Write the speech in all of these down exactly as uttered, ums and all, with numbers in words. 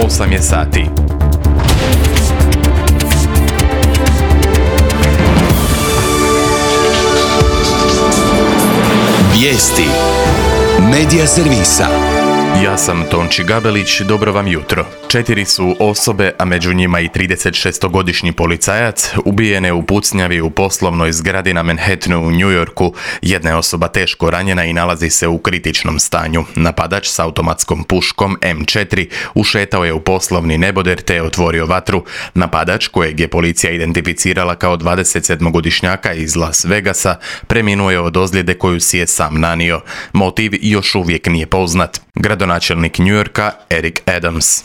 osam je sati. Vijesti Medija servisa. Ja sam Tonči Gabelić, dobro vam jutro. Četiri su osobe, a među njima i tridesetšestogodišnji policajac, ubijene u pucnjavi u poslovnoj zgradi na Manhattanu u New Yorku. Jedna je osoba teško ranjena i nalazi se u kritičnom stanju. Napadač s automatskom puškom em četiri ušetao je u poslovni neboder te je otvorio vatru. Napadač, kojeg je policija identificirala kao dvadesetsedmogodišnjaka iz Las Vegasa, preminuo je od ozljede koju si je sam nanio. Motiv još uvijek nije poznat. Gradonačelnik New Yorka Eric Adams.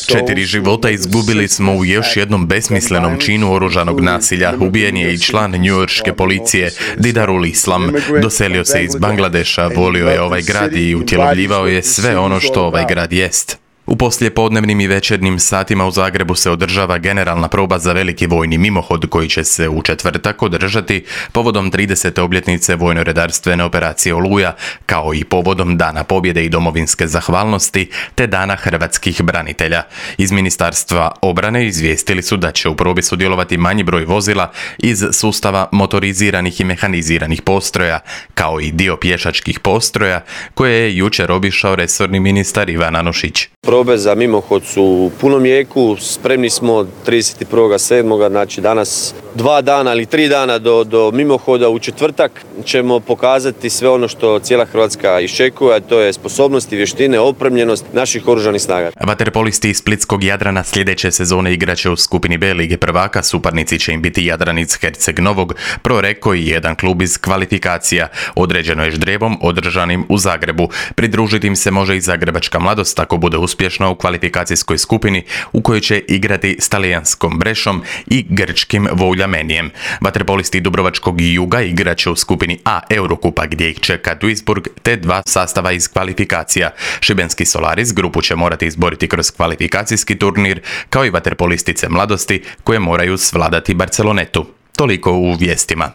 Četiri života izgubili smo u još jednom besmislenom činu oružanog nasilja. Ubijen je i član njujorške policije Didarul Islam. Doselio se iz Bangladeša, volio je ovaj grad i utjelovljivao je sve ono što ovaj grad jest. U poslijepodnevnim i večernjim satima u Zagrebu se održava generalna proba za veliki vojni mimohod koji će se u četvrtak održati povodom tridesete obljetnice vojno-redarstvene operacije Oluja, kao i povodom Dana pobjede i domovinske zahvalnosti te Dana hrvatskih branitelja. Iz Ministarstva obrane izvijestili su da će u probi sudjelovati manji broj vozila iz sustava motoriziranih i mehaniziranih postroja, kao i dio pješačkih postroja koje je jučer obišao resorni ministar Ivan Anušić. Probe za mimohod su u punom jeku, spremni smo trideset prvog sedmog znači danas dva dana ili tri dana do, do mimohoda. U četvrtak ćemo pokazati sve ono što cijela Hrvatska iščekuje, a to je sposobnost i vještine, opremljenost naših oružanih snaga. Vaterpolisti iz splitskog Jadrana sljedeće sezone igraće u skupini B Lige prvaka, suparnici će im biti Jadranic Herceg Novog, Proreko i jedan klub iz kvalifikacija. Određeno je ždrijevom održanim u Zagrebu. Pridružiti im se može i Zagrebačka Mladost ako bude uspješna u kvalifikacijskoj skupini u kojoj će igrati s talijanskom Brešom i grčkim Voljamenijem. Vaterpolisti Dubrovačkog Juga igraće u skupini A Eurokupa gdje ih čeka Duisburg te dva sastava iz kvalifikacija. Šibenski Solaris grupu će morati izboriti kroz kvalifikacijski turnir, kao i vaterpolistice Mladosti koje moraju svladati Barcelonetu. Toliko u vijestima.